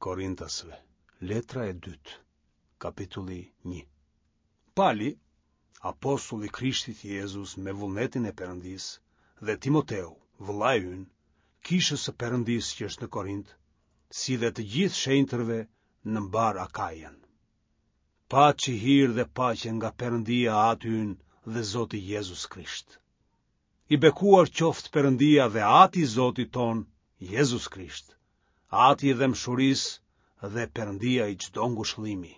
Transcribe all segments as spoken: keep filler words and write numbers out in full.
Korintasve, letra e dytë, kapitulli një. Pali, apostull i Krishtit Jezus me vullnetin e Perëndisë, dhe Timoteu, vëllai ynë, kishës së Perëndisë që është në Korint, si dhe të gjithë shenjtërve në mbarë Akajën. Paçi hir dhe paqe nga Perëndia Ati ynë dhe Zoti Jezus Krisht. I bekuar qoftë Perëndia dhe Ati i Zotit tonë, Jezus Krisht, Ati i dhembshurisë dhe Perëndia i çdo ngushëllimi,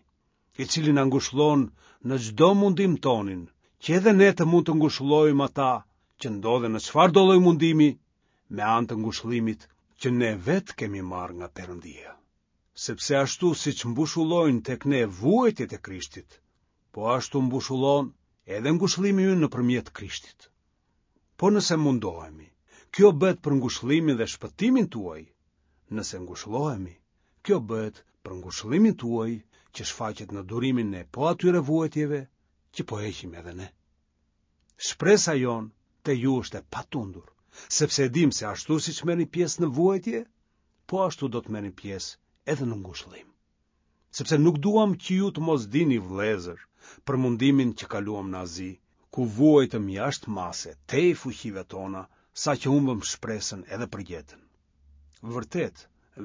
i cili na ngushëllon në çdo mundim tonin, që edhe ne të mund të ngushëllojmë ata që ndodhen në çfarëdo lloj mundimi me anë të ngushëllimit që ne vetë kemi marrë nga Perëndia. Sepse ashtu siç mbushulojnë tek ne vuajtjet e Krishtit, po ashtu mbushulon edhe ngushëllimi ynë nëpërmjet Krishtit. Po nëse mundohemi, kjo bëhet për ngushëllimin dhe shpëtimin tuaj. Nëse ngushëllohemi, kjo bëhet për ngushëllimin tuaj që shfaqet në durimin e po atyre vuajtjeve që po heqim edhe ne. Shpresa jonë te ju është e patundur, sepse e dim se ashtu siç merrni pjesë në vuajtje, po ashtu do të merrni pjesë edhe në ngushëllim. Sepse nuk duam që ju të mos dini vëllezër për mundimin që kaluam në Azi, ku vuajtëm jashtë mase, tej fuqive tona, sa që humbëm shpresën edhe për jetën. Vërtet,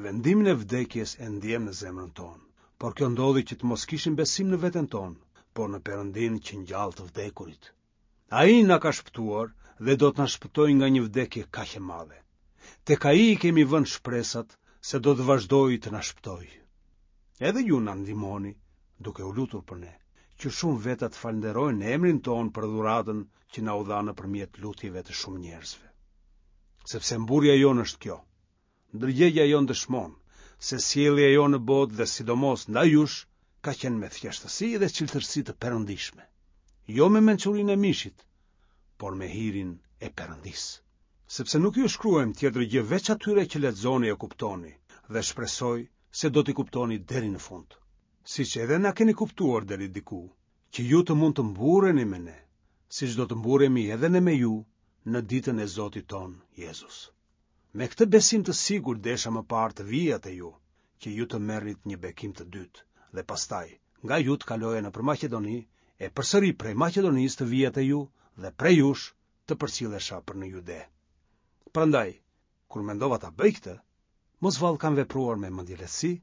vendimin e vdekjes e ndjem në zemrën tonë, por kjo ndodhi që të mos kishim besim në veten tonë, por në Perëndinë që ngjall të vdekurit. Ai na ka shpëtuar dhe do të na shpëtojë nga një vdekje kaq e madhe. Tek ai i kemi vënë shpresat se do të vazhdojë të na shpëtojë. Edhe ju na ndihmoni, duke u lutur për ne, që shumë veta të falënderojnë emrin tonë për dhuratën që na u dha nëpërmjet lutjeve të shumë njerëzve. Sepse mburrja jonë është kjo. Ndërgjegja jonë dëshmon se sjellja jonë në botë dhe sidomos ndaj jush ka qenë me thjeshtësi dhe çiltërsi të perëndishme, jo me mençurinë e mishit, por me hirin e Perëndisë. Sepse nuk ju shkruajmë tjetër gjë veç atyre që lexoni e kuptoni, dhe shpresoj se do t'i kuptoni deri në fund. Siç edhe na keni kuptuar deri diku, që ju të mund të mburreni me ne, siç do të mburremi edhe ne me ju në ditën e Zotit tonë Jezus. Me këtë besim të sigurt desha më parë të vija te ju, që ju të merrnit një bekim të dytë, dhe pastaj nga ju të kaloja nëpër Maqedoni, e përsëri prej Maqedonisë të vija te ju dhe prej jush të përcillesha për në Jude. Prandaj, kur mendova ta bëj këtë, mos vallë kam vepruar me mendjelehtësi,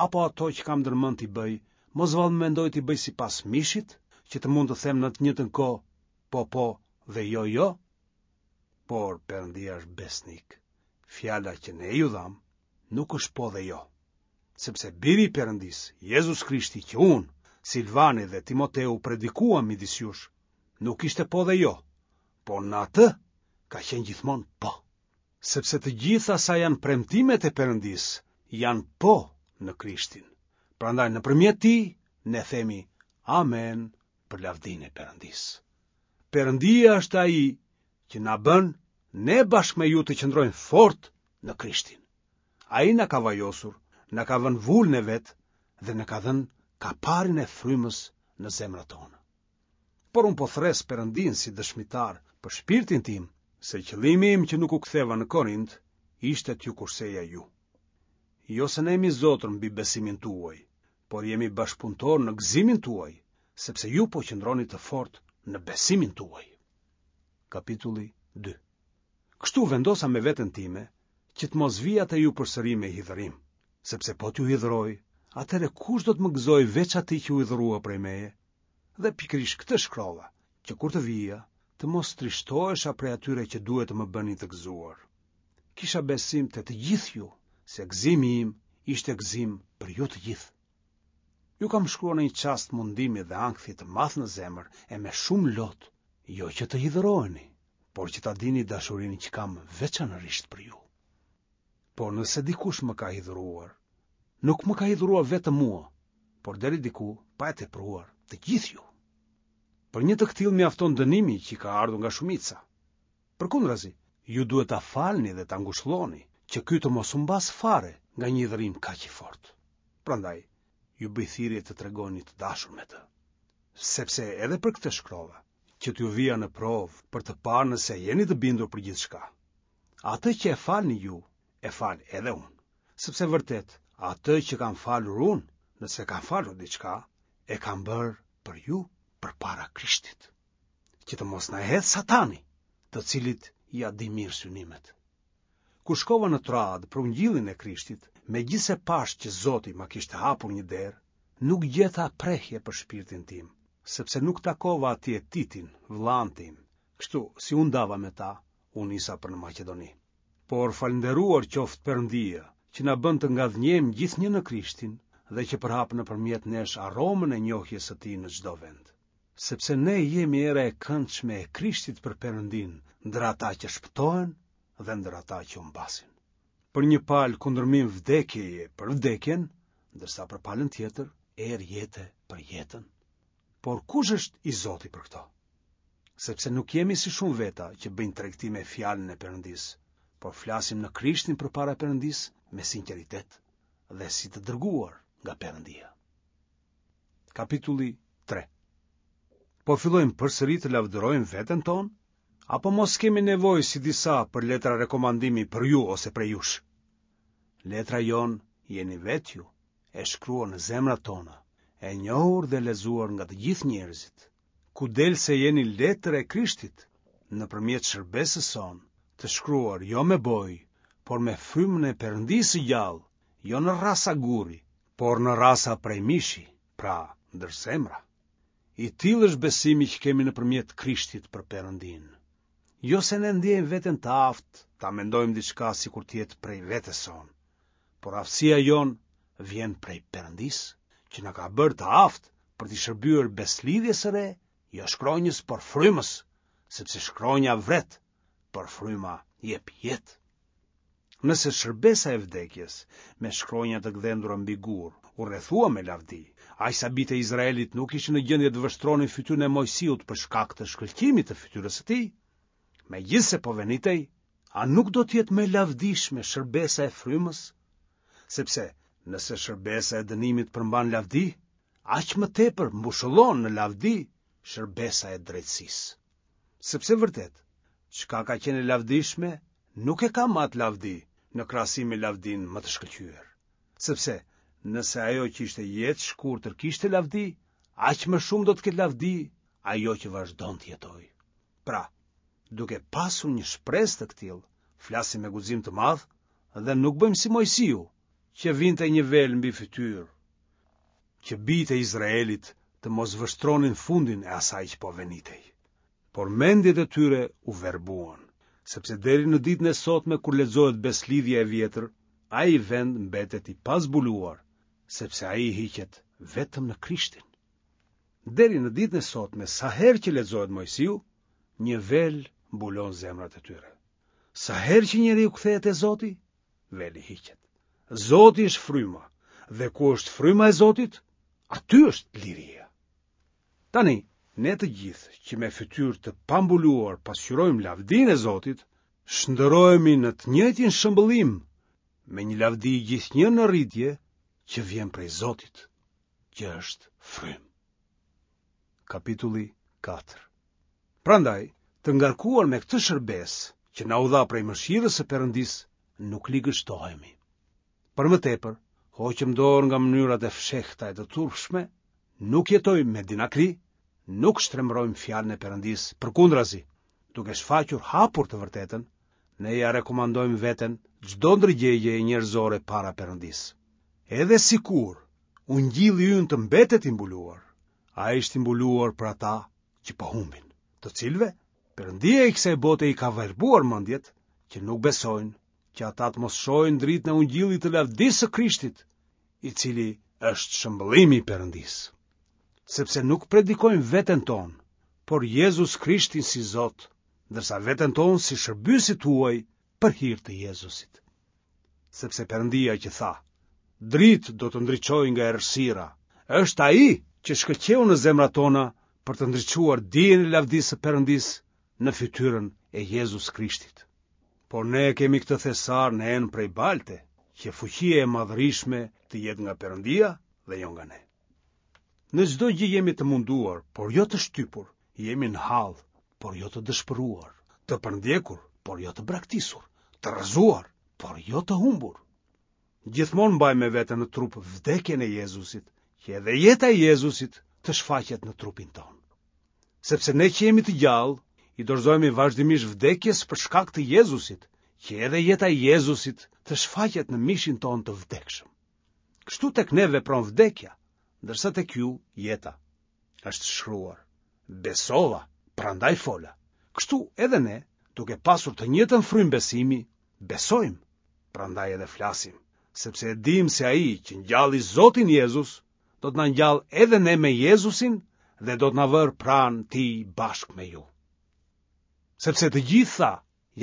apo ato që kam ndërmend t'i bëj, mos vallë mendoj t'i bëj sipas mishit, që të mund të them në të njëjtën kohë, po po dhe jo jo? Por Perëndia është besnik. Fjala që ne ju dhamë nuk është po dhe jo. Sepse biri i Perëndisë, Jezus Krishti që unë, Silvani dhe Timoteu predikuam midis jush, nuk ishte po dhe jo, por në atë ka qenë gjithmonë po. Sepse të gjitha sa janë premtimet e Perëndisë, janë po në Krishtin. Prandaj nëpërmjet tij ne themi amen për lavdinë e Perëndisë. Perëndia është ai që na bën ne bashkë me ju të qëndrojmë fort në Krishtin. Ai na ka vajosur, na ka vënë vulën e vet dhe na ka dhënë kaparin e frymës në zemrat tona. Por unë po thërras Perëndinë si dëshmitar për shpirtin tim, se qëllimi im që nuk u ktheva në Korint ishte t'ju kurseja ju. Jo se ne jemi zotër mbi besimin tuaj, por jemi bashkëpunëtorë në gëzimin tuaj, sepse ju po qëndroni të fortë në besimin tuaj. Kapitulli dy. Kështu vendosa me veten time që të mos vija te ju përsëri me hidhërim, sepse po t'ju hidhëroj, atëherë kush do të më gëzojë veç atij që u hidhërua prej meje? Dhe pikërisht këtë shkrova, që kur të vija, të mos trishtohesha prej atyre që duhet të më bënin të gëzuar. Kisha besim te të gjithë ju, se gëzimi im ishte gëzim për ju të gjithë. Ju kam shkruar në një çast mundimi dhe ankthi të madh në zemër e me shumë lot, jo që të hidhëroheni, por që ta dini dashurinë që kam veçanërisht për ju. Por nëse dikush më ka hidhëruar, nuk më ka hidhëruar vetëm mua, por deri diku pa e tepruar të gjithë ju. Për një të këtillë mjafton dënimi që i ka ardhur nga shumica. Përkundrazi, ju duhet ta falni dhe ta ngushëlloni, që ky të mos humbasë fare nga një hidhërim kaq i fortë. Prandaj, ju bëj thirrje të tregoni të dashur me të. Sepse edhe për këtë shkrova, që t'ju vija në provë për të parë nëse jeni të bindur për gjithçka. Atë që e falni ju, e fal edhe unë. Sepse vërtet, Atë që kam falur unë, nëse kam falur diçka, e kam bërë për ju përpara Krishtit, që të mos na e hedhë Satani, të cilit ia di mirë synimet. Kur shkova në Troadë për ungjillin e Krishtit, megjithëse pashë që Zoti ma kishte hapur një derë, nuk gjeta prehje për shpirtin tim, sepse nuk takova atje Titin, vëllanë tim. Kështu, si u ndava me ta, u nisa për në Maqedoni. Por falënderuar qoftë Perëndia, që na bën të ngadhënjejmë gjithnjë në Krishtin dhe që përhap nëpërmjet nesh aromën e njohjes së tij në çdo vend. Sepse ne jemi era e këndshme e Krishtit për Perëndinë, ndër ata që shpëtohen dhe ndër ata që humbasin. Për një palë kundërmim vdekjeje për vdekjen, ndërsa për palën tjetër erë jete për jetën. Por kush është i zoti për këto? Sepse nuk jemi si shumë veta që bëjnë tregti me fjalën e Perëndisë, por flasim në Krishtin përpara Perëndisë me sinqeritet dhe si të dërguar nga Perëndia. Kapitulli tre. Po fillojmë përsëri të lavdërojmë veten tonë? Apo mos kemi nevojë si disa për letra rekomandimi për ju ose prej jush? Letra jonë jeni vetë ju, e shkruar në zemrat tona, e njohur dhe lexuar nga të gjithë njerëzit, ku del se jeni letër e Krishtit, nëpërmjet shërbesës sonë, të shkruar jo me bojë, por me frymën e Perëndisë së gjallë, jo në rrasa guri, por në rrasa prej mishi, pra ndër zemra. I tillë është besimi që kemi nëpërmjet Krishtit për Perëndinë. Jo se ne ndjejmë veten të aftë ta mendojmë diçka sikur të jetë prej vetes sonë, por aftësia jonë vjen prej Perëndisë, që na ka bërë të aftë për t'i shërbyer besëlidhjes së re, jo shkronjës, por frymës, sepse shkronja vret, por fryma jep jetë. Nëse shërbesa e vdekjes me shkronja të gdhendura mbi gur u rrethua me lavdi, aq sa bijtë e Izraelit nuk ishin në gjendje të vështronin fytyrën e Moisiut për shkak të shkëlqimit të fytyrës së tij, megjithëse po venitej, a nuk do të jetë më e lavdishme shërbesa e frymës? Sepse nëse shërbesa e dënimit përmban lavdi, aq më tepër mbushëllon në lavdi shërbesa e drejtësisë. Sepse vërtet, çka ka qenë e lavdishme, nuk e ka më atë lavdi në krahasim me lavdinë më të shkëlqyer. Sepse nëse ajo që ishte jetë shkurtër kishte lavdi, aq më shumë do të ketë lavdi ajo që vazhdon të jetojë. Pra, duke pasur një shpresë të këtillë, flasim me guxim të madh dhe nuk bëjmë si Moisiu, që vinte një vel mbi fytyrë, që bijtë e Izraelit të mos vështronin fundin e asaj që po venitej. Por mendjet e tyre u verbuan, sepse deri në ditën e sotme kur lexohet besëlidhja e vjetër, ai vend mbetet i pazbuluar, sepse ai hiqet vetëm në Krishtin. Deri në ditën e sotme, sa herë që lexohet Moisiu, një vel mbulon zemrat e tyre. Sa herë që njeriu kthehet te Zoti, veli hiqet. Zoti është fryma, dhe ku është fryma e Zotit, aty është liria. Tani, ne të gjithë që me fytyrë të pambuluar pasqyrojmë lavdinë e Zotit, shndërrohemi në të njëjtin shëmbëllim me një lavdi gjithnjë në rritje që vjen prej Zotit, që është frymë. Kapitulli katër. Prandaj, të ngarkuar me këtë shërbesë që na u dha prej mëshirës së Perëndisë, nuk ligështohemi. Për më tepër, hoqëm dorë nga mënyrat e fshehta e të turpshme, nuk jetojmë me dinakri, nuk shtrembërojmë fjalën e Perëndisë, përkundrazi, duke shfaqur hapur të vërtetën, ne ia rekomandojmë veten çdo ndërgjegjeje njerëzore para Perëndisë. Edhe sikur ungjilli ynë të mbetet i mbuluar, ai është i mbuluar për ata që po humbin, të cilëve Perëndia i kësaj bote i ka verbuar mendjet që nuk besojnë, që ata të mos shohin dritën e ungjillit të lavdisë së Krishtit, i cili është shëmbëllimi i Perëndisë. Sepse nuk predikojmë veten tonë, por Jezus Krishtin si Zot, ndërsa veten tonë si shërbyesit tuaj për hir të Jezusit. Sepse Perëndia që tha, dritë do të ndriçojë nga errësira, është ai që shkëlqeu në zemrat tona për të ndriçuar dijen e lavdisë së Perëndisë në fytyrën e Jezus Krishtit. Por ne kemi këtë thesar në enë prej balte, që fuqia e madhërishme të jetë nga Perëndia dhe jo nga ne. Në çdo gjë jemi të munduar, por jo të shtypur, jemi në hall, por jo të dëshpëruar, të përndjekur, por jo të braktisur, të rrëzuar, por jo të humbur. Gjithmonë mbajmë me vete në trup vdekjen e Jezusit, që edhe jeta e Jezusit të shfaqet në trupin tonë. Sepse ne që jemi të gjallë, i dorëzohemi vazhdimisht vdekjes për shkak të Jezusit, që edhe jeta e Jezusit të shfaqet në mishin tonë të vdekshëm. Kështu tek ne vepron vdekja, ndërsa tek ju jeta. Është shkruar: Besova, prandaj fola. Kështu edhe ne, duke pasur të njëjtën frymë besimi, besojmë, prandaj edhe flasim, sepse e dimë se ai që ngjalli Zotin Jezus, do të na ngjallë edhe ne me Jezusin dhe do të na vërë pranë tij bashkë me ju. Sepse të gjitha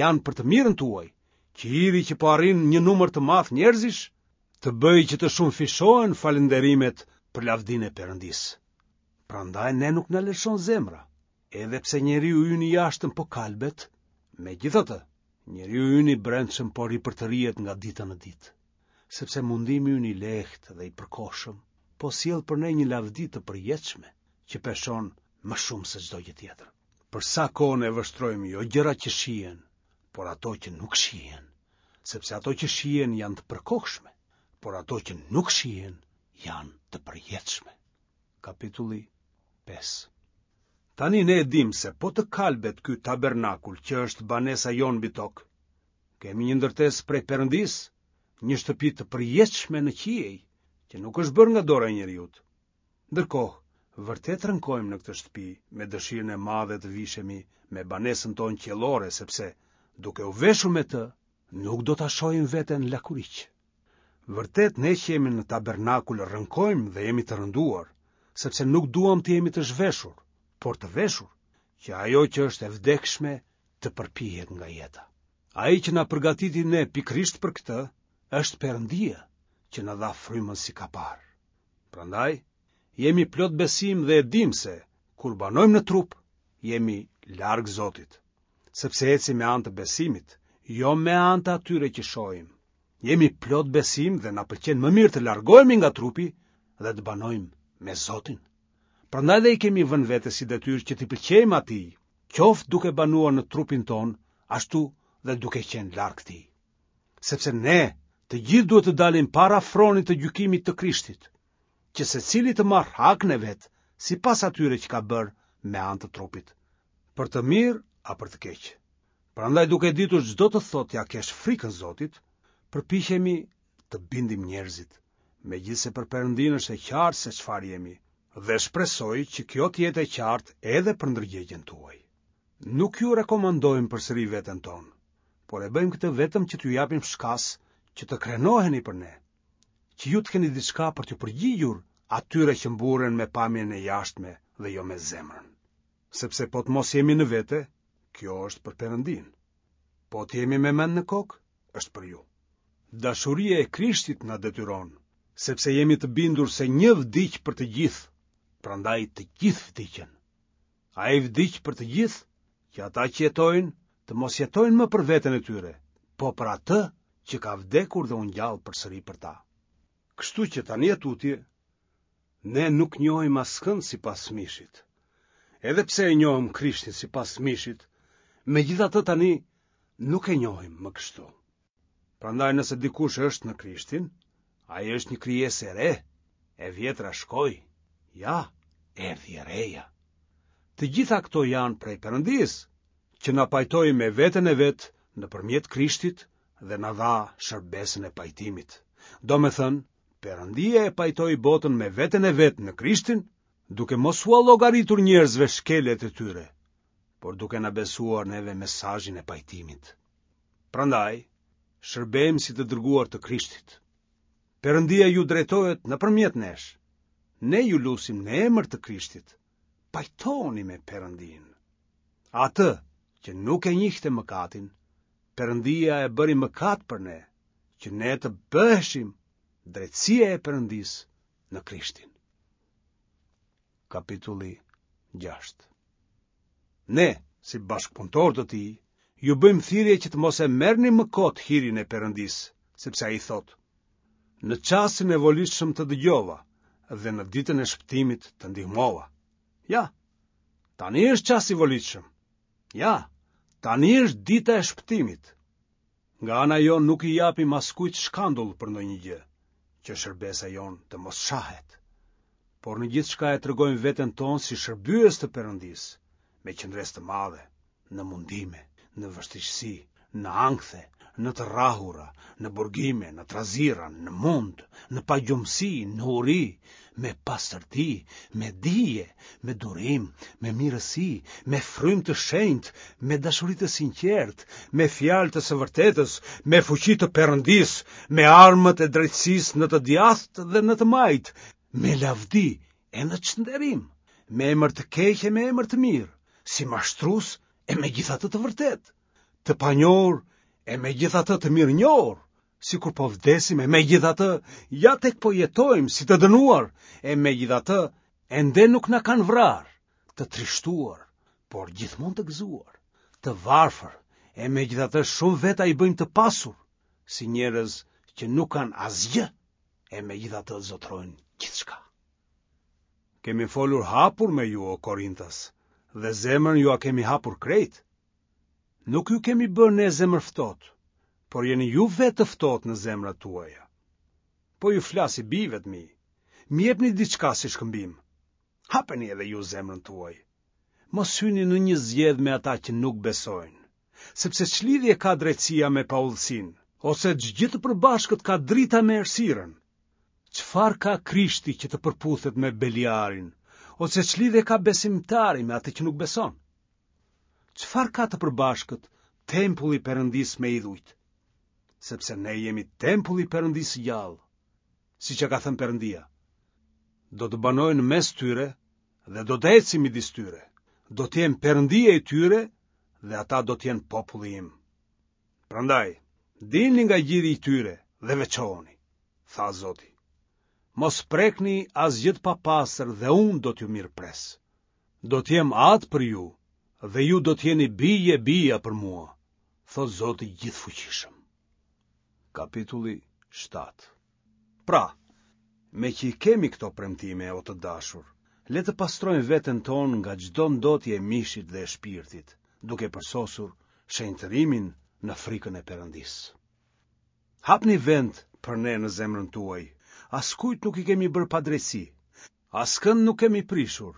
janë për të mirën tuaj, që hiri që po arrin një numër të madh njerëzish, të bëjë që të shumëfishohen falënderimet për lavdinë e Perëndisë. Prandaj ne nuk na lëshon zemra, edhe pse njeriu ynë i jashtëm po kalbet, megjithatë, njeriu ynë i brendshëm po ripërtërihet nga dita në ditë, sepse mundimi ynë i lehtë dhe i përkohshëm po sjell për ne një lavdi të përjetshme që peshon më shumë se çdo gjë tjetër. Për sa kohë ne vështrojmë jo gjërat që shihen, por ato që nuk shihen, sepse ato që shihen janë të përkohshme, por ato që nuk shihen janë të përjetshme. Kapitulli pesë. Tani ne e dimë se po të kalbet ky tabernakul që është banesa jonë mbi tokë, kemi një ndërtesë prej Perëndisë, një shtëpi të përjetshme në qiej, që nuk është bërë nga dora e njeriut. Ndërkohë, vërtet rënkojmë në këtë shtëpi me dëshirën e madhe të vishemi me banesën tonë qiellore, sepse duke u veshur me të, nuk do ta shohim veten lakuriq. Vërtet ne që jemi në tabernakul rënkojmë dhe jemi të rënduar, sepse nuk duam të jemi të zhveshur, por të veshur, që ajo që është e vdekshme të përpihet nga jeta. Ai që na përgatiti ne pikërisht për këtë, është Perëndia, që na dha frymën si kapar. Prandaj, jemi plot besim dhe e dim se, kur banojmë në trup, jemi larg Zotit, sepse ecim me anë të besimit, jo me anë të atyre që shohim. Jemi plot besim dhe na pëlqen më mirë të largohemi nga trupi dhe të banojmë me Zotin. Prandaj dhe i kemi vënë vetes si detyrë që t'i pëlqejmë atij, qoftë duke banuar në trupin tonë, ashtu dhe duke qenë larg tij. Sepse ne të gjithë duhet të dalim para fronit të gjykimit të Krishtit, që secili të marrë hakun e vet, sipas atyre që ka bërë me anë të trupit, për të mirë a për të keq. Prandaj duke ditur ç'do të thotë t'ia kesh frikën Zotit, përpiqemi të bindim njerëzit, megjithëse për Perëndinë është e qartë se çfarë jemi, dhe shpresoj që kjo të jetë e qartë edhe për ndërgjegjen tuaj. Nuk ju rekomandojmë përsëri veten tonë, por e bëjmë këtë vetëm që t'ju japim shkas që të krenoheni për ne, që ju të keni diçka për t'ju përgjigjur atyre që mburren me pamjen e jashtme dhe jo me zemrën. Sepse po të mos jemi në vete, kjo është për Perëndinë. Po të jemi me mend në kokë, është për ju. Dashuria e Krishtit na detyron, sepse jemi të bindur se një vdiq për të gjithë, prandaj të gjithë vdiqën. Ai vdiq për të gjithë, që ata që jetojnë të mos jetojnë më për veten e tyre, po për atë që ka vdekur dhe u ngjall përsëri për ta. Kështu që tani e tutje, ne nuk njohim askënd sipas mishit. Edhe pse e njohëm Krishtin sipas mishit, megjithatë tani nuk e njohim më kështu. Prandaj nëse dikush është në Krishtin, ai është një krijesë e re, e vjetra shkoi, ja, erdhi e reja. Të gjitha këto janë prej Perëndisë, që na pajtoi me veten e vet nëpërmjet Krishtit dhe na dha shërbesën e pajtimit. Domethënë, Perëndia e pajtoi botën me veten e vet në Krishtin, duke mos ua llogaritur njerëzve shkeljet e tyre, por duke na besuar neve mesazhin e pajtimit. Prandaj, shërbejmë si të dërguar të Krishtit. Perëndia ju drejtohet nëpërmjet nesh. Ne ju lusim në emër të Krishtit. Pajtoni me Perëndinë. Atë që nuk e njihte mëkatin, Perëndia e bëri mëkat për ne, që ne të bëheshim drejtësia e Perëndisë në Krishtin. Kapitulli gjashtë. Ne, si bashkëpunëtorë të tij, ju bëjmë thirrje që të mos e merrni më kot hirin e Perëndisë, sepse ai thotë: Në çastin e volitshëm të dëgjova dhe në ditën e shpëtimit të ndihmova. Ja, tani është çasti i volitshëm. Ja, tani është dita e shpëtimit. Nga ana jonë nuk i japim askujt shkandull për ndonjë gjë, që shërbesa jonë të mos shahet. Por në gjithçka e tregojmë veten tonë si shërbyes të Perëndisë, me qëndresë të madhe, në mundime, në vështirësi, në ankthe, në të rrahura, në burgime, në trazira, në mund, në pagjumësi, në uri, me pastërti, me dije, me durim, me mirësi, me frymë të shenjtë, me dashuri të sinqertë, me fjalë të së vërtetës, me fuqi të Perëndisë, me armët e drejtësisë në të djathtë dhe në të majtë, me lavdi e në çnderim, me emër të keq e me emër të mirë, si mashtrues e megjithatë të vërtetë, të panjohur e megjithatë të mirënjohur, sikur po vdesim e megjithatë ja tek po jetojmë si të dënuar e megjithatë ende nuk na kanë vrarë, të trishtuar, por gjithmonë të gëzuar, të varfër e megjithatë shumë veta i bëjmë të pasur, si njerëz që nuk kanë asgjë e megjithatë zotërojnë gjithçka. Kemi folur hapur me ju, o Korintas, dhe zemrën jua kemi hapur krejt. Nuk ju kemi bërë ne zemërftohtë, por jeni ju vetë të ftohtë në zemrat tuaja. Po ju flas si bijve të mi. Më jepni diçka si shkëmbim. Hapeni edhe ju zemrën tuaj. Mos hyni në një zgjedhë me ata që nuk besojnë. Sepse ç'lidhje ka drejtësia me paudhësinë, ose ç'gjë të përbashkët ka drita me errësirën? Çfarë ka Krishti që të përputhet me Beliarin, ose ç'lidhje ka besimtari me atë që nuk beson? Çfarë ka të përbashkët tempulli i Perëndisë me idhujt? Sepse ne jemi tempulli i Perëndisë së gjallë, siç e ka thënë Perëndia. Do të banoj në mes tyre dhe do të eci midis tyre. Do të jem Perëndia i tyre dhe ata do të jenë populli im. Prandaj, dilni nga gjiri i tyre dhe veçohuni, tha Zoti. Mos prekni asgjë të papastër dhe unë do t'ju mirëpres. Do të jem atë për ju dhe ju do të jeni bij e bija për mua, thotë Zoti i Gjithëfuqishëm. Kapitulli shtatë. Pra, meqë i kemi këto premtime, o të dashur, le të pastrojmë veten tonë nga çdo ndotje e mishit dhe e shpirtit, duke përsosur shenjtërimin në frikën e Perëndisë. Hapni vend për ne në zemrën tuaj, askujt nuk i kemi bërë padrejtësi, askënd nuk kemi prishur,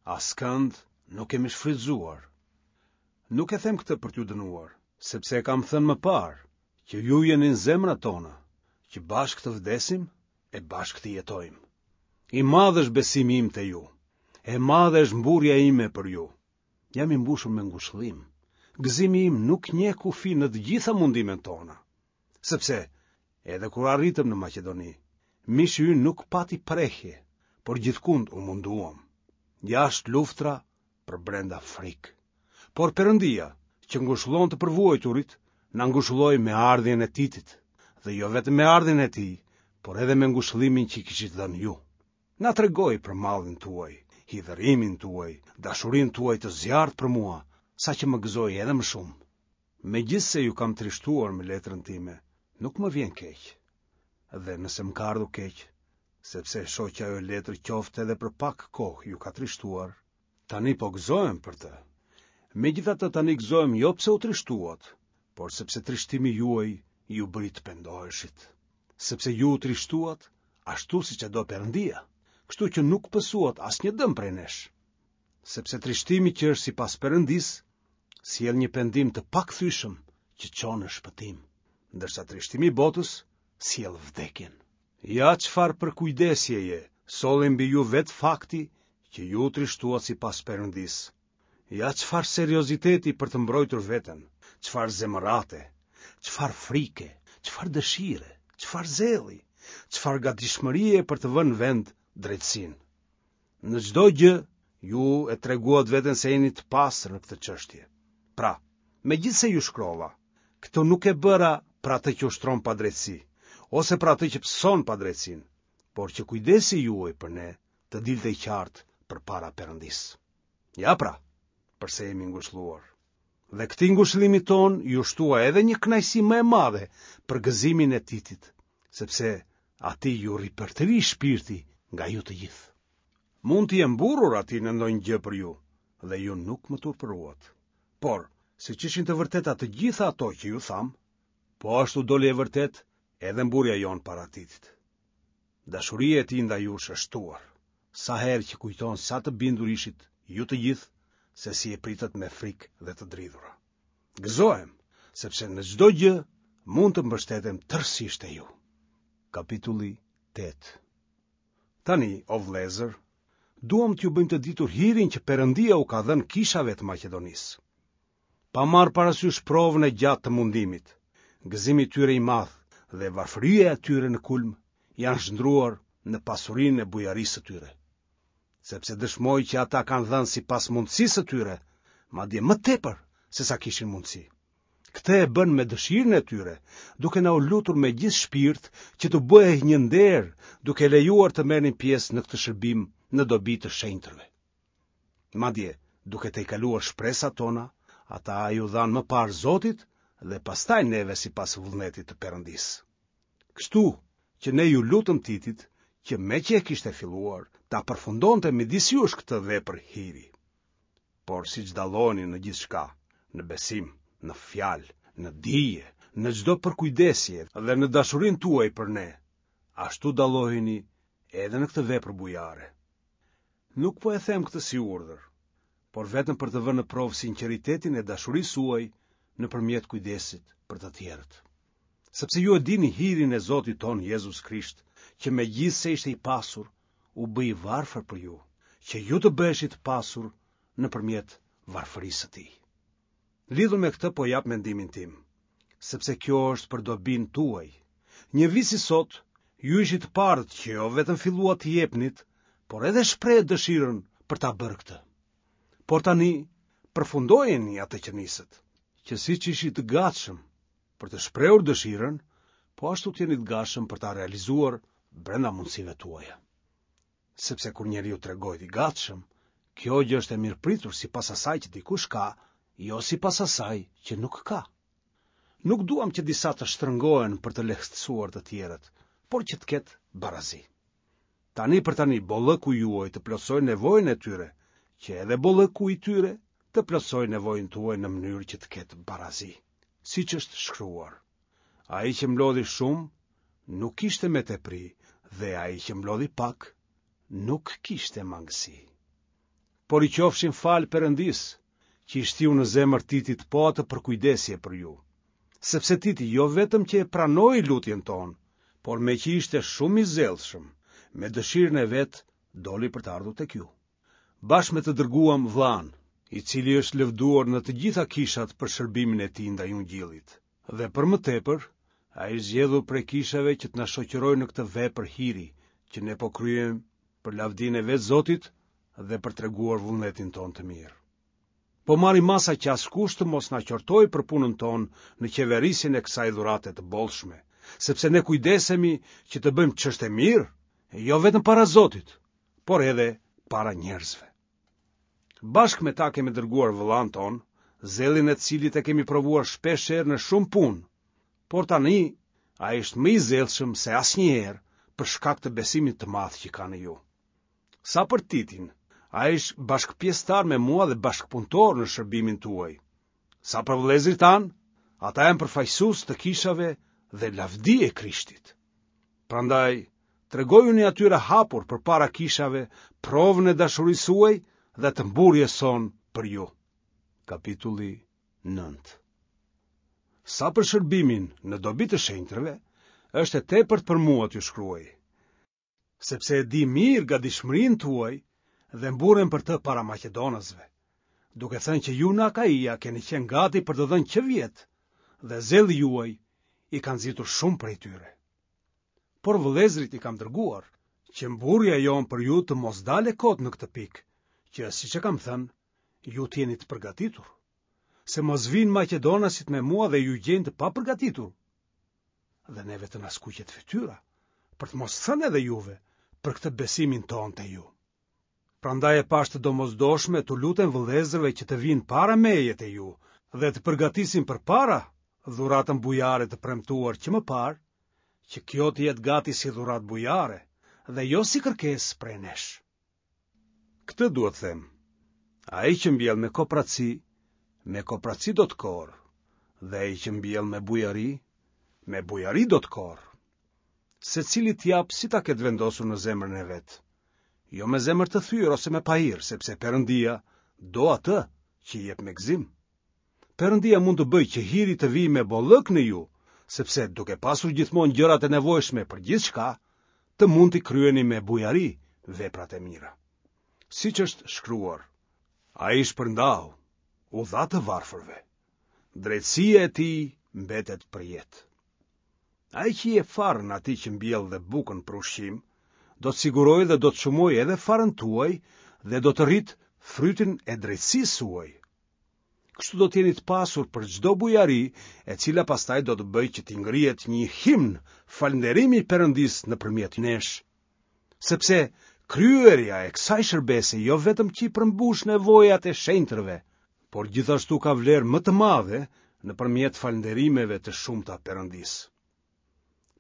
askënd nuk kemi shfrytëzuar. Nuk e them këtë për t'ju dënuar, sepse e kam thënë më parë, që ju jeni në zemrat tona, që bashkë të vdesim e bashkë të jetojmë. I madh është besimi im te ju, e madhe është mburrja ime për ju. Jam i mbushur me ngushëllim. Gëzimi im nuk njeh kufi në të gjitha mundimet tona. Sepse, edhe kur arritëm në Maqedoni, mishi ynë nuk pati prehje, por gjithkund u munduam. Jashtë luftra, përbrenda frikë. Por Perëndia, që ngushëllon të përvuajturit, na ngushëlloi me ardhjen e Titit, dhe jo vetëm me ardhjen e tij, por edhe me ngushëllimin që i kishit dhënë ju. Na tregoi për mallin tuaj, hidhërimin tuaj, dashurinë tuaj të zjarrtë për mua, saqë më gëzoi edhe më shumë. Megjithëse ju kam trishtuar me letrën time, nuk më vjen keq. Dhe nëse më ka ardhur keq, sepse e shoh që ajo letër qoftë edhe për pak kohë ju ka trishtuar, tani po gëzohem për të. Megjithatë tani gëzohem jo pse u trishtuat, por sepse trishtimi juaj ju bëri të pendoheshit. Sepse ju u trishtuat ashtu siç e do Perëndia, kështu që nuk pësuat asnjë dëm prej nesh. Sepse trishtimi që është sipas Perëndisë sjell një pendim të pakthyeshëm që çon në shpëtim, ndërsa trishtimi i botës sjell vdekjen. Ja çfarë përkujdesjeje solli mbi ju vetë fakti që ju u trishtuat sipas Perëndisë. Ja çfarë serioziteti për të mbrojtur veten, çfarë zemërate, çfarë frike, çfarë dëshire, çfarë zelli, çfarë gatishmërie për të vënë në vend drejtësinë. Në çdo gjë ju e treguat veten se jeni të pastër në këtë çështje. Pra, megjithëse ju shkrova, këtë nuk e bëra për atë që ushtron padrejtësi, ose për atë që pëson padrejtësinë, por që kujdesi juaj për ne të dilte i qartë përpara Perëndisë. Ja pra, përse jemi ngushëlluar. Dhe këtij ngushëllimi tonë ju shtua edhe një kënaqësi më e madhe për gëzimin e Titit, sepse atij ju ripërtëri shpirti nga ju të gjithë. Mund t'i jem mburrur atij në ndonjë gjë për ju, dhe ju nuk më turpëruat. Por, siç ishin të vërteta të gjitha ato që ju thamë, Po ashtu doli e vërtetë edhe mburrja jonë para Titit. Dashuria e tij ndaj jush është shtuar, sa herë që kujton sa të bindur ishit ju të gjithë se si e pritët me frikë dhe të dridhura. Gëzohem, sepse në çdo gjë mund të mbështetem tërësisht te ju. Kapitulli tetë. Tani, o vëllezër, duam t'ju bëjmë të ditur hirin që Perëndia u ka dhënë kishave të Maqedonisë. Pa marrë parasysh provën e gjatë të mundimit, gëzimi i tyre i madh dhe varfëria e tyre në kulm janë shndërruar në pasurinë e bujarisë së tyre. Sepse dëshmoj që ata kanë dhënë sipas mundësisë së tyre, madje më tepër se sa kishin mundësi. Këtë e bënë me dëshirën e tyre, duke na u lutur me gjithë shpirt që t'u bëhej një nder, duke lejuar të merrnin pjesë në këtë shërbim në dobi të shenjtërve. Madje, duke tejkaluar shpresat tona, ata iu dhanë më parë Zotit dhe pastaj neve sipas vullnetit të Perëndisë. Kështu që ne iu lutëm Titit që meqë e kishte filluar, ta përfundonte midis jush këtë vepër hiri. Por siç dalloheni në gjithçka, në besim, në fjalë, në dije, në çdo përkujdesje dhe në dashurinë tuaj për ne, ashtu dalloheni edhe në këtë vepër bujare. Nuk po e them këtë si urdhër, por vetëm për të vënë në provë sinqeritetin e dashurisë suaj nëpërmjet kujdesit për të tjerët. Sepse ju e dini hirin e Zotit tonë Jezus Krisht, që megjithëse ishte i pasur, u bë i varfër për ju, që ju të bëheshit të pasur nëpërmjet varfërisë së tij. Lidhur me këtë po jap mendimin tim, sepse kjo është për dobinë tuaj. Një vit si sot, ju ishit të parët që jo vetëm filluat të jepnit, por edhe shprehët dëshirën për ta bërë këtë. Por tani, përfundojeni atë që nisët, që siç ishit të gatshëm për të shprehur dëshirën, po ashtu të jeni të gatshëm për ta realizuar brenda mundësive tuaja. Sepse kur njeriu tregohet i gatshëm, kjo gjë është e mirëpritur sipas asaj që dikush ka, jo sipas asaj që nuk ka. Nuk duam që disa të shtrëngohen për të lehtësuar të tjerët, por që të ketë barazi. Tani për tani bollëku juaj të plotësojë nevojën e tyre, që edhe bollëku i tyre të plotësojë nevojën tuaj në mënyrë që të ketë barazi, siç është shkruar. Ai që mblodhi shumë nuk kishte me tepri dhe ai që mblodhi pak nuk kishte mangësi. Por i qofshin falë Perëndisë, që i shtiu në zemër Titit po atë përkujdesje për ju. Sepse Titi jo vetëm që e pranoi lutjen tonë, por meqë ishte shumë i zellshëm, me dëshirën e vet doli për të ardhur tek ju. Bashkë me të dërguam vëllanë, i cili është lëvduar në të gjitha kishat për shërbimin e tij ndaj Ungjillit. Dhe për më tepër, ai është zgjedhur prej kishave që të na shoqërojë në këtë vepër hiri, që ne po kryejmë për lavdinë e vetë Zotit dhe për treguar vullnetin tonë të mirë. Po marrim masa që askush të mos na qortojë për punën tonë në qeverisjen e kësaj dhurate të bollshme, sepse ne kujdesemi që të bëjmë ç'është e mirë, jo vetëm para Zotit, por edhe para njerëzve. Bashkë me ta kemi dërguar vëllanë tonë, zellin e të cilit e kemi provuar shpesh herë në shumë punë, por tani ai është më i zellshëm se asnjëherë për shkak të besimit të madh që ka në ju. Sa për Titin, ai është bashkëpjesëtar me mua dhe bashkëpunëtor në shërbimin tuaj. Sa për vëllezërit tanë, ata janë përfaqësues të kishave dhe lavdi e Krishtit. Prandaj, tregojuni atyre hapur përpara kishave provën e dashurisë suaj dhe të mburrjes sonë për ju. Kapitulli nëntë. Sa për shërbimin në dobi të shenjtërve, është e tepërt për mua t'ju shkruaj, sepse e di mirë gatishmërinë tuaj dhe mburrem për të para maqedonasve, duke thënë që ju në Akaia keni qenë gati për të dhënë që vjet, dhe zelli juaj i ka nxitur shumë prej tyre. Por vëllezërit i kam dërguar, që mburrja jonë për ju të mos dalë kot në këtë pikë, që, siç e kam thënë, ju të jeni të përgatitur, se mos vinë maqedonasit me mua dhe ju gjejnë të papërgatitur. Dhe neve të na skuqet fytyra, për të mos thënë edhe juve, për këtë besimin tonë te ju. Prandaj e pashë të domosdoshme t'u lutem vëllezërve që të vinë para meje te ju dhe të përgatisin përpara dhuratën bujare të premtuar që më parë, që kjo të jetë gati si dhuratë bujare dhe jo si kërkesë prej nesh. Këtë duhet të them. Ai që mbjell me kopraci, me kopraci do të korrë, dhe ai që mbjell me bujari, me bujari do të korrë. Secili të japë si ta ketë vendosur në zemrën e vet. Jo me zemër të thyer ose me pahir, sepse Perëndia do atë që jep me gëzim. Perëndia mund të bëjë që hiri të vijë me bollëk në ju, sepse duke pasur gjithmonë gjërat e nevojshme për gjithçka, të mund t'i kryeni me bujari veprat e mira. Siç është shkruar, ai shpërndau, u dha të varfërve. Drejtësia e tij mbetet për jetë. Ai që jep farën atij që mbjell dhe bukën për ushqim, do të sigurojë dhe do të shumojë edhe farën tuaj dhe do të rritë frytin e drejtësisë suaj. Kështu do të jeni të pasur për çdo bujari, e cila pastaj do të bëjë që t'i ngrihet një himn falënderimi Perëndisë nëpërmjet nesh. Sepse kryerja e kësaj shërbese jo vetëm që i përmbush nevojat e shenjtërve, por gjithashtu ka vlerë më të madhe nëpërmjet falënderimeve të shumta Perëndisë.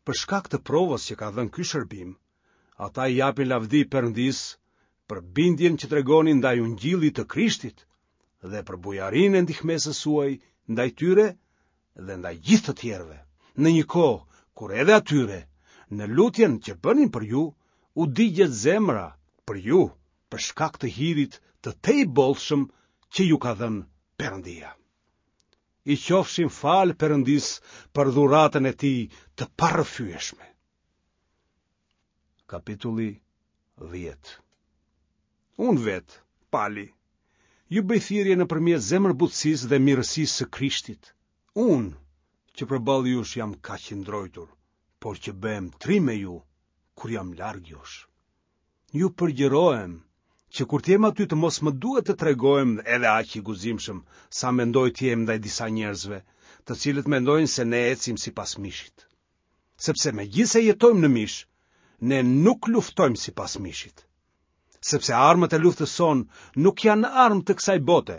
Për shkak të provës që ka dhënë ky shërbim, ata i japin lavdi Perëndisë për bindjen që tregoni ndaj ungjillit të Krishtit dhe për bujarinë e ndihmesës suaj ndaj tyre dhe ndaj gjithë të tjerëve, në një kohë kur edhe atyre, në lutjen që bënin për ju, u digjet zemra për ju, për shkak të hirit të tejbollshëm që ju ka dhënë Perëndia. I qofshim falë Perëndisë për dhuratën e tij të parrëfyeshme. Kapitulli dhjetë. Unë vetë, Pali, ju bëj thirrje nëpërmjet zemërbutësisë dhe mirësisë së Krishtit. Unë, që përballë jush jam kaq i ndrojtur, por që bëhem trim me ju kur jam larg jush. Ju përgjërohem që kur të jem aty të mos më duhet të tregohem edhe aq i guximshëm sa mendoj të jem ndaj disa njerëzve, të cilët mendojnë se ne ecim sipas mishit. Sepse megjithëse jetojmë në mish, ne nuk luftojmë sipas mishit. Sepse armët e luftës sonë nuk janë armë të kësaj bote,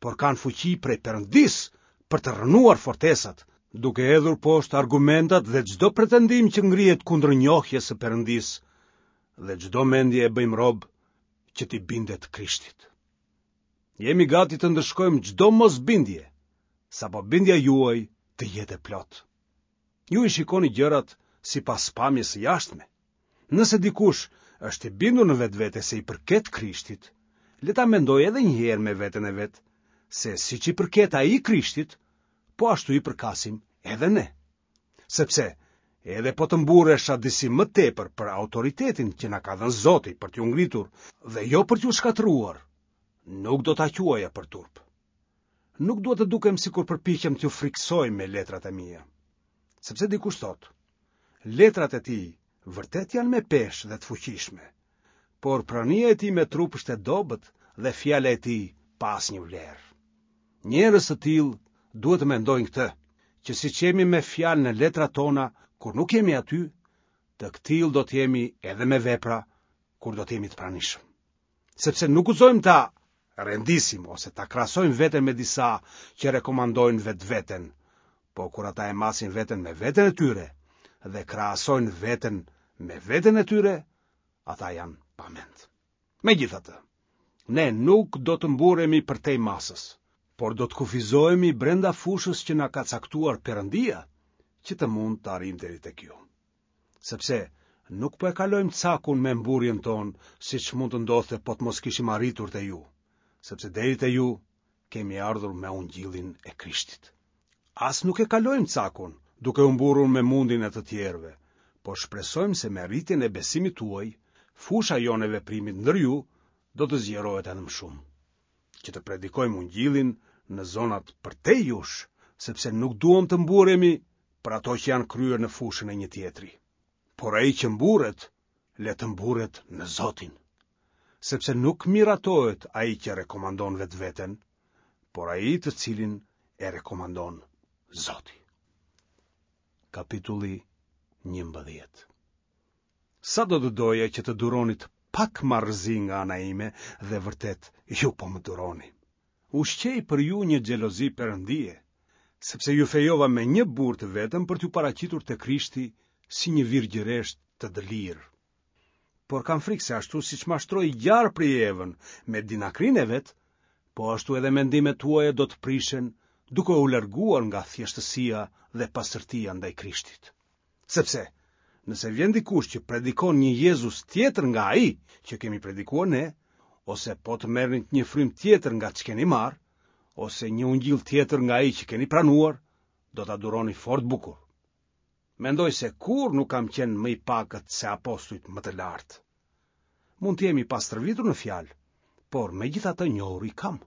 por kanë fuqi prej Perëndisë për të rrënuar fortesat, duke hedhur poshtë argumentat dhe çdo pretendim që ngrihet kundër njohjes së Perëndisë, dhe çdo mendje e bëjmë rob që t'i bindet Krishtit. Jemi gati të ndëshkojmë çdo mosbindje, sapo bindja juaj të jetë e plotë. Ju i shikoni gjërat sipas pamjes së jashtme. Nëse dikush është i bindur në vetvete se i përket Krishtit, le ta mendojë edhe një herë me veten e vet, se siç i përket ai Krishtit, po ashtu i përkasim edhe ne. Sepse edhe po të mburresha disi më tepër për autoritetin që na ka dhënë Zoti për t'ju ngritur dhe jo për t'ju shkatërruar, nuk do ta quaja për turp. Nuk dua të dukem sikur përpiqem t'ju frikësoj me letrat e mia. Sepse dikush thotë, letrat e tij vërtet janë me peshë dhe të fuqishme, por prania e tij me trup është e dobët dhe fjala e tij pa asnjë vlerë. Njerëz të tillë duhet të mendojnë këtë, që siç jemi me fjalë në letrat tona kur nuk jemi aty, të këtillë do të jemi edhe me vepra kur do të jemi të pranishëm. Sepse nuk guxojmë ta rendisim ose ta krahasojmë veten me disa që rekomandojnë vetveten, po kur ata e masin veten me veten e tyre dhe krahasojnë veten me veten e tyre, ata janë pa mend. Megjithatë, ne nuk do të mburremi përtej masës, por do të kufizohemi brenda fushës që na ka caktuar Perëndia, që të mund të arrijmë deri tek ju. Sepse nuk po e kalojmë cakun me mburrjen tonë, siç mund të ndodhte po të mos kishim arritur te ju, sepse deri te ju kemi ardhur me ungjillin e Krishtit. As nuk e kalojmë cakun, duke u mburrur me mundin e të tjerëve, por shpresojmë se me rritjen e besimit tuaj, fusha jonë e veprimit ndër ju do të zgjerohet edhe më shumë, që të predikojmë ungjillin në zonat përtej jush, sepse nuk duam të mburremi për ato që janë kryer në fushën e një tjetri. Por ai që mburret, le të mburret në Zotin. Sepse nuk miratohet ai që rekomandon vetveten, por ai të cilin e rekomandon Zoti. Kapitulli njëmbëdhjetë. Sa do të doja që të duronit pak marrëzi nga ana ime dhe vërtet ju po më duroni. Ushqej për ju një xhelozi perëndie, sepse ju fejova me një burrë të vetëm për t'ju paraqitur te Krishti si një virgjëresh të dëlirë. Por kam frikë se ashtu siç mashtroi gjarpri Evën me dinakrinë e vet, po ashtu edhe mendimet tuaja do të prishen duke u larguar nga thjeshtësia dhe pastërtia ndaj Krishtit. Sepse, nëse vjen dikush që predikon një Jezus tjetër nga ai që kemi predikuar ne, ose po të merrnit një frymë tjetër nga ç'keni marrë, ose një ungjill tjetër nga ai që keni pranuar, do ta duroni fort bukur. Mendoj se kurrë nuk kam qenë më i pakët se apostujt më të lartë. Mund të jem i pastërvitur në fjalë, por megjithatë njohuri kam.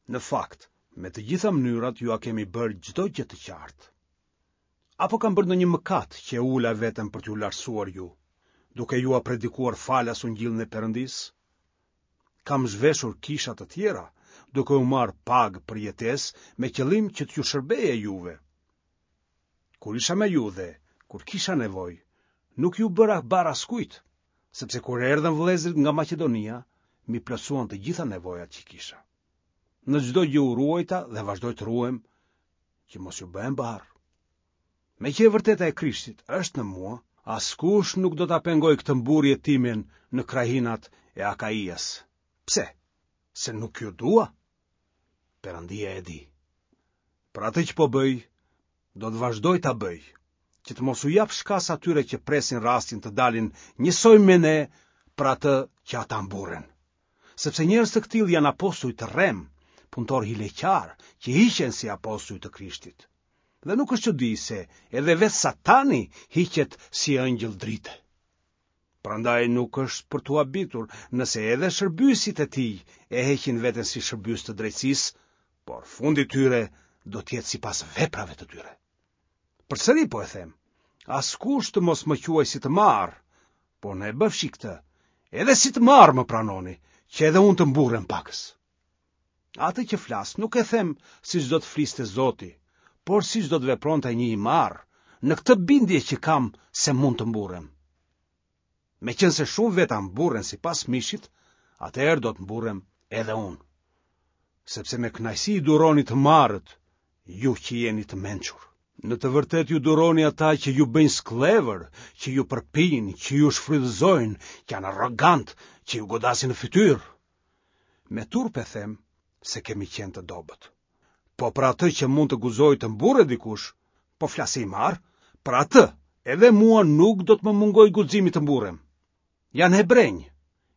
Në fakt, me të gjitha mënyrat jua kemi bërë çdo gjë të qartë. Apo kam bërë ndonjë mëkat që e ula veten për t'ju lartësuar ju, duke jua predikuar falas ungjillin e Perëndisë? Kam zhveshur kisha të tjera, duke u marrë pagë për jetesë me qëllim që t'ju shërbeja juve. Kur isha me ju dhe kur kisha nevojë, nuk iu bëra barrë askujt, sepse kur erdhën vëllezërit nga Maqedonia, m'i plotësuan të gjitha nevojat që kisha. Në çdo gjë u ruajta dhe vazhdoj të ruhem që mos ju bëhem barrë. Meqë e vërteta e Krishtit është në mua, askush nuk do ta pengojë këtë mburrje timen në krahinat e Akaias. Pse? Se nuk ju dua? Perëndia e di. Për atë që po bëj, do të vazhdoj ta bëj, që të mos u jap shkas atyre që presin rastin të dalin njësoj me ne për atë që ata mburren. Sepse njerëz të këtillë janë apostuj të rremë, punëtorë hileqarë, që hiqen si apostuj të Krishtit. Dhe nuk është çudi se edhe vetë Satani hiqet si engjëll drite. Prandaj nuk është për t'u habitur nëse edhe shërbyesit e tij e heqin veten si shërbyes të drejtësisë, por fundi i tyre do të jetë sipas veprave të tyre. Përsëri po e them, askush të mos më quajë si të marrë, por në e bëfshi këtë, edhe si të marrë më pranoni, që edhe unë të mburrem pakës. Atë që flas nuk e them siç do të fliste Zoti, por siç do të vepronte një i marrë, në këtë bindje që kam se mund të mburrem. Meqenëse shumë veta mburren sipas mishit, atëherë do të mburrem edhe unë. Sepse me kënaqësi i duroni të marrët, ju që jeni të mençur. Në të vërtetë ju duroni ata që ju bëjnë skllevër, që ju përpijnë, që ju shfrytëzojnë, që janë arrogantë, që ju godasin në fytyrë. Me turp e them se kemi qenë të dobët. Po për atë që mund të guxojë të mburret dikush, po flas si i marrë, për atë edhe mua nuk do të më mungojë guximi të mburrem. Janë hebrenj,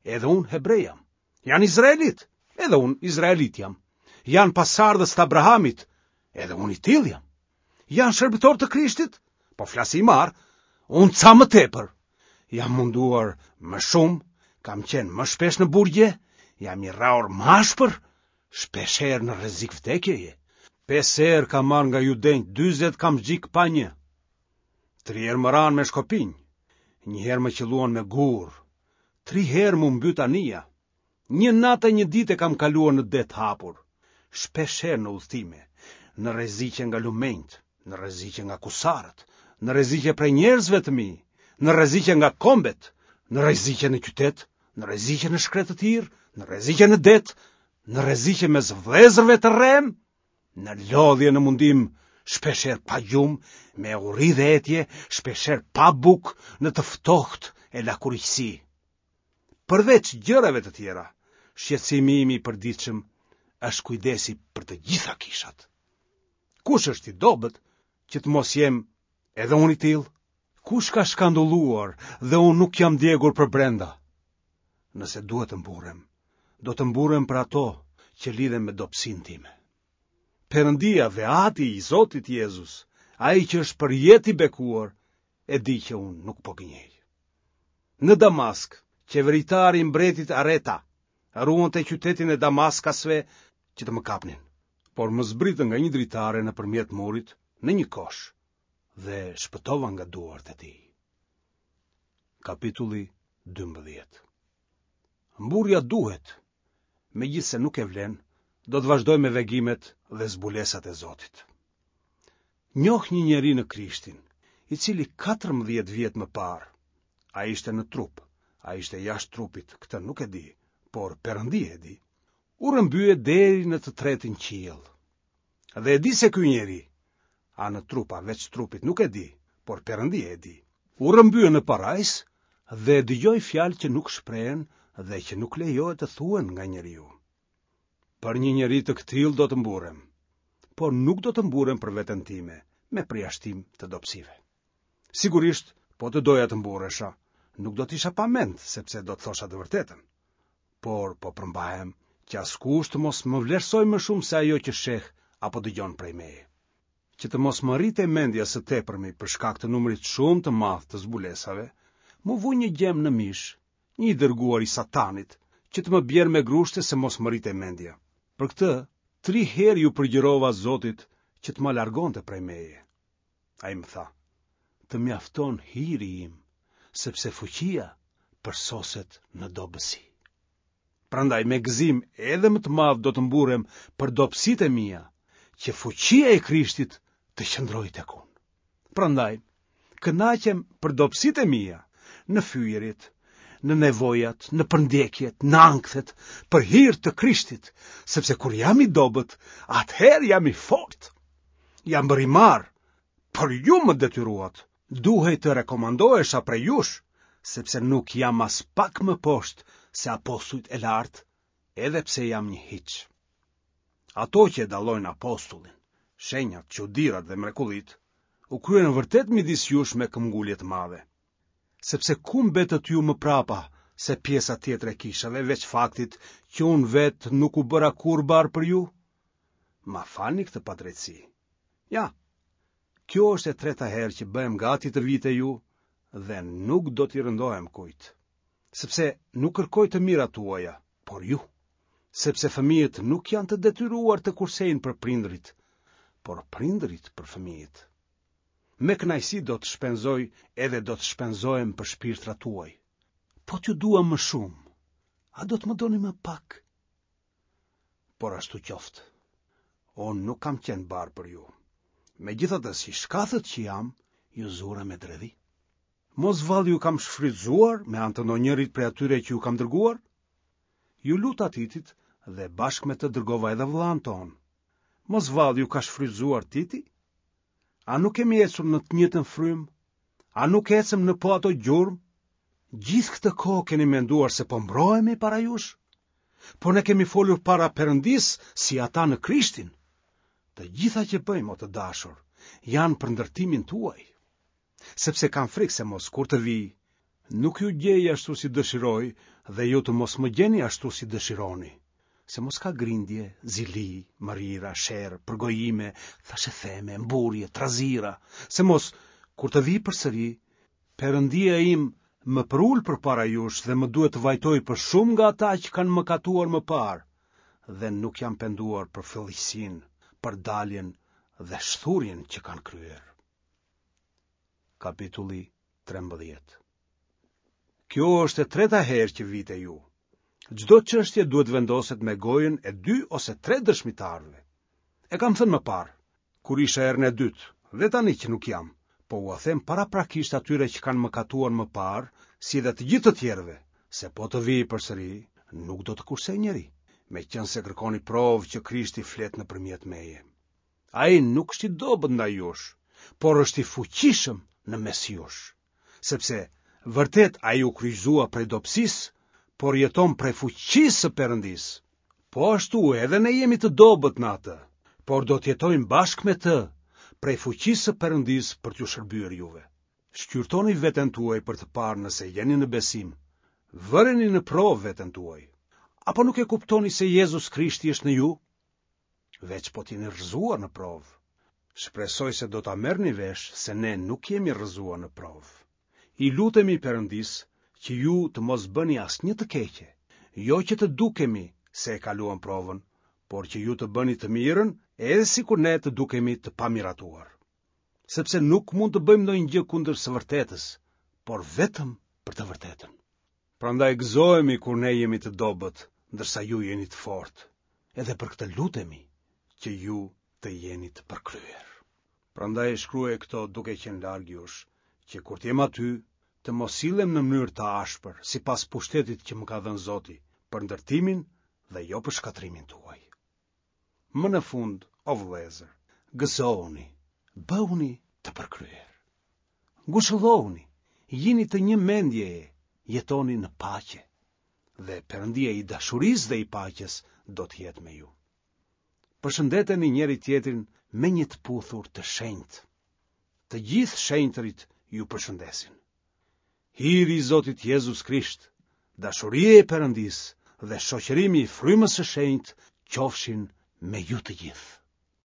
edhe unë hebre jam. Janë izraelitë, edhe unë izraelit jam. Janë pasardhës të Abrahamit, edhe unë i tillë jam. Janë shërbëtorë të Krishtit, po flas si i marrë, unë ca më tepër. Jam munduar më shumë, kam qenë më shpesh në burgje, jam i rrahur më ashpër, shpesh herë në rrezik vdekjeje. Pesë herë kam marrë nga judenjtë dyzet kamxhik pa një. Tri herë më ranë me shkopinj, një herë më qëlluan me gurë, tri herë m'u mbyt anija. Një natë e një ditë e kam kaluar në det të hapur, shpesh herë në udhëtime, në rreziqe nga lumenjtë, në rreziqe nga kusarët, në rreziqe prej njerëzve të mi, në rreziqe nga kombet, në rreziqe në qytet, në rreziqe në shkretëtirë, në rreziqe në det, në rreziqe mes vëllezërve të rremë, në lodhje në mundim, shpesh herë pa gjumë, me uri dhe etje, shpesh herë pa bukë, në të ftohtë e lakuriqësi. Përveç gjërave të tjera, shqetësimi im i përditshëm është kujdesi për të gjitha kishat. Kush është i dobët që të mos jem edhe unë i tillë? Kush ka shkandulluar dhe unë nuk jam djegur përbrenda? Nëse duhet të mburrem, do të mburrem për ato që lidhen me dobësinë time. Perëndia dhe Ati i Zotit Jezus, ai që është përjetë i bekuar, e di që unë nuk po gënjej. Në Damask, qeveritari i mbretit Areta ruante qytetin e Damaskasve që të më kapnin, por më zbritën nga një dritare nëpërmjet murit në një kosh dhe shpëtova nga duart e tij. Kapitulli dymbëdhjetë. Mburrja duhet, megjithëse nuk e vlen, do të vazhdoj me vegimet dhe zbulesat e Zotit. Njoh një njeri në Krishtin, i cili katërmbëdhjetë vjet më parë, a ishte në trup, a ishte jashtë trupit, këtë nuk e di, por Perëndia e di, u rrëmbye deri në të tretin qiell. Dhe e di se ky njeri, a në trup a veç trupit nuk e di, por Perëndia e di, u rrëmbye në parajsë dhe dëgjoi fjalë që nuk shprehen dhe që nuk lejohet të thuhen nga njeriu. Për një njeri të këtillë do të mburrem, Por nuk do të mburrem për veten time, me përjashtim të dobësive. Sigurisht, po të doja të mburresha, nuk do të isha pa mend, sepse do të thosha të vërtetën. Por po përmbahem që askush të mos më vlerësojë më shumë se ajo që sheh apo dëgjon prej meje. Që të mos më rritej mendja së tepërmi për shkak të numrit shumë të madh të zbulesave, m'u vu një gjemb në mish, një i dërguar i Satanit, që të më bjerë me grushte se mos më rritej mendja. Për këtë, tri herë iu përgjërova Zotit që të ma largonte prej meje. Ai më tha, të mjafton hiri im, sepse fuqia përsoset në dobësi. Prandaj me gëzim edhe më të madh do të mburrem për dobësitë e mia, që fuqia e Krishtit të qëndrojë tek unë. Prandaj, kënaqem për dobësitë e mia, në fyerjet, në nevojat, në përndjekjet, në ankthet, për hir të Krishtit, sepse kur jam i dobët, atëherë jam i fortë. Jam bërë i marrë, por ju më detyruat. Duhej të rekomandohesha prej jush, sepse nuk jam aspak më poshtë se apostujt e lartë, edhe pse jam një hiç. Ato që e dallojnë apostullin, shenjat, çudirat dhe mrekullitë, u kryen vërtet midis jush me këmbgulje të madhe. Sepse ku mbetët ju më prapa se pjesa tjetër e kishave, veç faktit që unë vetë nuk u bëra kurrë barrë për ju? Ma falni këtë padrejtësi. Ja, kjo është e treta herë që bëhem gati të vij te ju dhe nuk do t'i rëndohem kujt. Sepse nuk kërkoj të mirat tuaja, por ju. Sepse fëmijët nuk janë të detyruar të kursejnë për prindërit, por prindërit për fëmijët. Me kënaqësi do të shpenzoj edhe do të shpenzohem për shpirtrat tuaj. Po t'ju dua më shumë, a do të më doni më pak? Por ashtu qoftë. Unë nuk kam qenë barrë për ju. Megjithatë, si shkathët që jam, ju zura me dredhi. Mos vallë ju kam shfrytëzuar me anë të ndonjërit prej atyre që ju kam dërguar? Ju luta Titit dhe bashkë me të dërgova edhe vëllanë tonë. Mos vallë ju ka shfrytëzuar Titi? A nuk kemi ecur në të njëjtën frymë? A nuk ecëm në po ato gjurmë? Gjithë këtë kohë keni menduar se po mbrohemi para jush? Por ne kemi folur para Perëndisë si ata në Krishtin. Të gjitha që bëjmë, o të dashur, janë për ndërtimin tuaj. Sepse kam frikë se mos kur të vij, nuk ju gjej ashtu si dëshiroj dhe ju të mos më gjeni ashtu si dëshironi. Se mos ka grindje, zili, mërira, sherr, përgojime, thashetheme, mburrje, trazira, se mos, kur të vij përsëri, Perëndia im më përul përpara jush dhe më duhet të vajtoj për shumë nga ata që kanë mëkatuar më parë dhe nuk janë penduar për fëlliqësinë, për daljen dhe shthurjen që kanë kryer. Kapitulli trembëdhjetë. Kjo është e treta herë që vij te ju. Çdo çështje duhet vendoset me gojën e dy ose tre dëshmitarëve. E kam thënë më parë, kur isha herën e dytë, dhe tani që nuk jam, po ua them paraprakisht atyre që kanë mëkatuar më parë, si dhe të gjithë të tjerëve, se po të vij përsëri, nuk do të kursej njeri, meqenëse kërkoni provë që Krishti flet nëpërmjet meje. Ai nuk është i dobët ndaj jush, por është i fuqishëm në mes jush, sepse vërtet ai u kryqëzua prej dobësisë, por jeton prej fuqisë së Perëndisë. Po ashtu edhe ne jemi të dobët në atë, por do të jetojmë bashkë me të, prej fuqisë së Perëndisë për t'ju shërbyer juve. Shqyrtoni veten tuaj për të parë nëse jeni në besim. Vëreni në provë veten tuaj. Apo nuk e kuptoni se Jezus Krishti është në ju? Veç po t'jeni rrëzuar në provë. Shpresoj se do ta merrni vesh se ne nuk jemi rrëzuar në provë. I lutemi Perëndisë që ju të mos bëni asnjë të keqe, jo që të dukemi se e kaluam provën, por që ju të bëni të mirën edhe sikur ne të dukemi të pamiratuar. Sepse nuk mund të bëjmë ndonjë gjë kundër së vërtetës, por vetëm për të vërtetën. Prandaj gëzohemi kur ne jemi të dobët, ndërsa ju jeni të fortë. Edhe për këtë lutemi që ju të jeni të përkryer. Prandaj shkruaj këto duke qenë larg jush, që kur të jem aty, të mos sillem në mënyrë të ashpër, sipas pushtetit që më ka dhënë Zoti, për ndërtimin dhe jo për shkatërrimin tuaj. Më në fund, o vëllezër, gëzohuni, bëhuni të përkryer. Ngushëllohuni, jini të një mendjeje, jetoni në paqe, dhe Perëndia i dashurisë dhe i paqes do të jetë me ju. Përshëndeteni njëri-tjetrin me një të puthur të shenjtë. Të gjithë shenjtërit ju përshëndesin. Hiri i Zotit Jezus Krisht, dashuria e Perëndisë dhe shoqërimi i Frymës së Shenjtë qofshin me ju të gjithë.